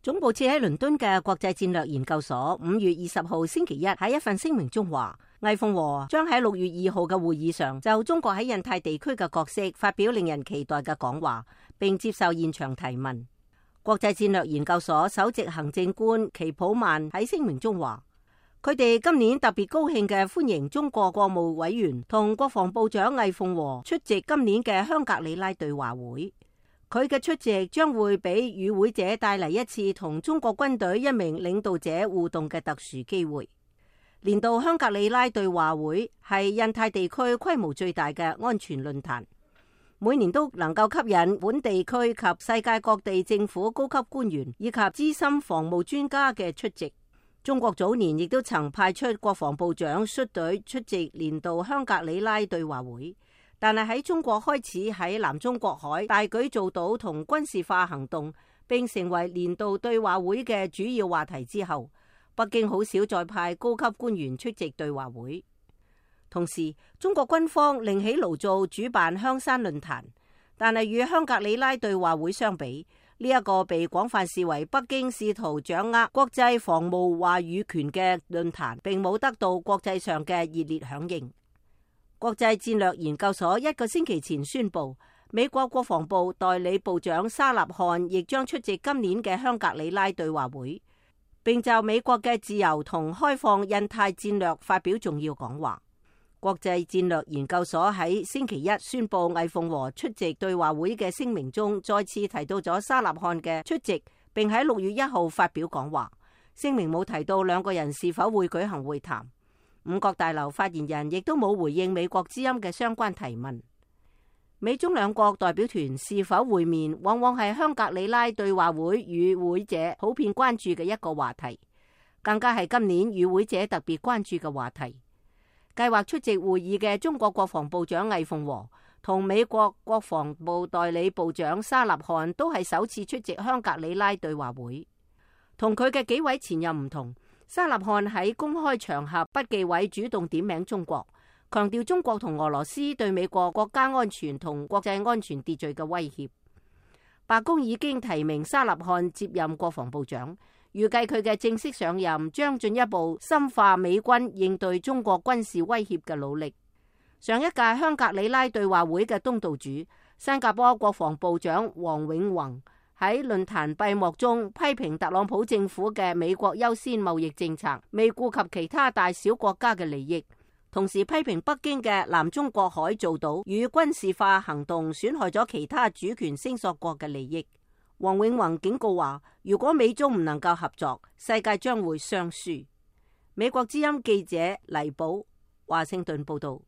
總部設喺倫敦嘅國際戰略研究所5月20號星期一喺一份聲明中話，魏鳳和將喺6月2號嘅會議上就中國喺印太地區嘅角色發表令人期待嘅講話，並接受現場提問。國際戰略研究所首席行政官祁普曼喺聲明中話，佢哋今年特別高興嘅歡迎中國國務委員同國防部長魏鳳和出席今年嘅香格里拉對話會。佢嘅出席將會俾與會者帶嚟一次同中國軍隊一名領導者互動嘅特殊機會。年度香格里拉對話會係印太地區規模最大嘅安全論壇，每年都能夠吸引本地區及世界各地政府高級官員以及資深防務專家嘅出席。中國早年亦都曾派出國防部長率隊出席年度香格里拉對話會，但係喺中國開始喺南中國海大舉造島同軍事化行動，並成為年度對話會嘅主要話題之後，北京好少再派高級官員出席對話會。同時，中國軍方另起爐灶主辦香山論壇，但係與香格里拉對話會相比，呢一個被廣泛視為北京試圖掌握國際防務話語權嘅論壇，並冇得到國際上嘅熱烈響應。國際戰略研究所1個星期前宣布，美國國防部代理部長沙納漢亦將出席今年嘅香格里拉對話會，並就美國嘅自由同開放印太戰略發表重要講話。國際戰略研究所喺星期一宣布魏鳳和出席對話會嘅聲明中，再次提到咗沙納漢嘅出席，並喺6月1號發表講話。聲明冇提到兩個人是否會舉行會談。五角大樓發言人亦都冇回應美國之音嘅相關提問。美中兩國代表團是否會面，往往係香格里拉對話會與會者普遍關注嘅一個話題，更加係今年與會者特別關注嘅話題。計劃出席會議嘅中國國防部長魏鳳和同美國國防部代理部長沙納漢都係首次出席香格里拉對話會。同佢嘅幾位前任唔同，沙納漢喺公開場合不忌諱主動點名中國，強調中國同俄羅斯對美國國家安全同國際安全秩序嘅威脅。白宮已經提名沙納漢接任國防部長，預計佢嘅正式上任將進一步深化美軍應對中國軍事威脅嘅努力。上一屆香格里拉對話會嘅東道主新加坡國防部長黃永宏喺論壇閉幕中批評特朗普政府嘅美國優先貿易政策未顧及其他大小國家嘅利益，同時批評北京嘅南中國海造島與軍事化行動損害咗其他主權聲索國嘅利益。黃永宏警告話，如果美中唔能夠合作，世界將會雙輸。美國之音記者黎寶華盛頓報道。